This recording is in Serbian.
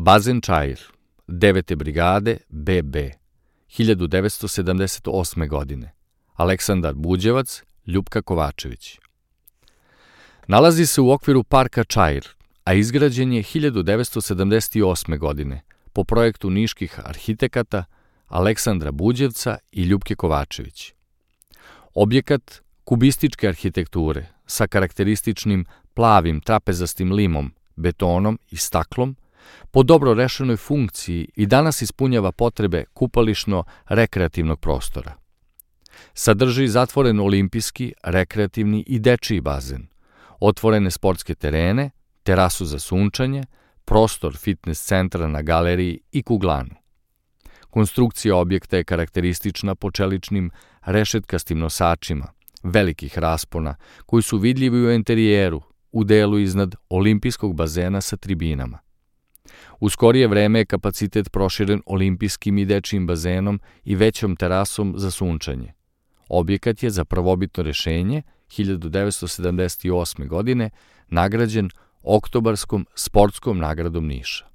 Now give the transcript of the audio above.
Bazen Čair, 9. brigade BB, 1978. godine. Aleksandar Buđevac, Ljupka Kovačević. Nalazi se u okviru parka Čair, a izgrađen je 1978. godine po projektu niških arhitekata Aleksandra Buđevca i Ljupke Kovačević. Objekat kubističke arhitekture sa karakterističnim plavim trapezastim limom, betonom i staklom, po dobro rešenoj funkciji i danas ispunjava potrebe kupališno-rekreativnog prostora. Sadrži zatvoren olimpijski, rekreativni i dečiji bazen, otvorene sportske terene, terasu za sunčanje, prostor fitness centra na galeriji i kuglanu. Konstrukcija objekta je karakteristična po čeličnim rešetkastim nosačima, velikih raspona, koji su vidljivi u enterijeru, u delu iznad olimpijskog bazena sa tribinama. U skorije vreme je kapacitet proširen olimpijskim i dečijim bazenom i većom terasom za sunčanje. Objekat je za prvobitno rešenje 1978. godine nagrađen Oktobarskom sportskom nagradom Niša.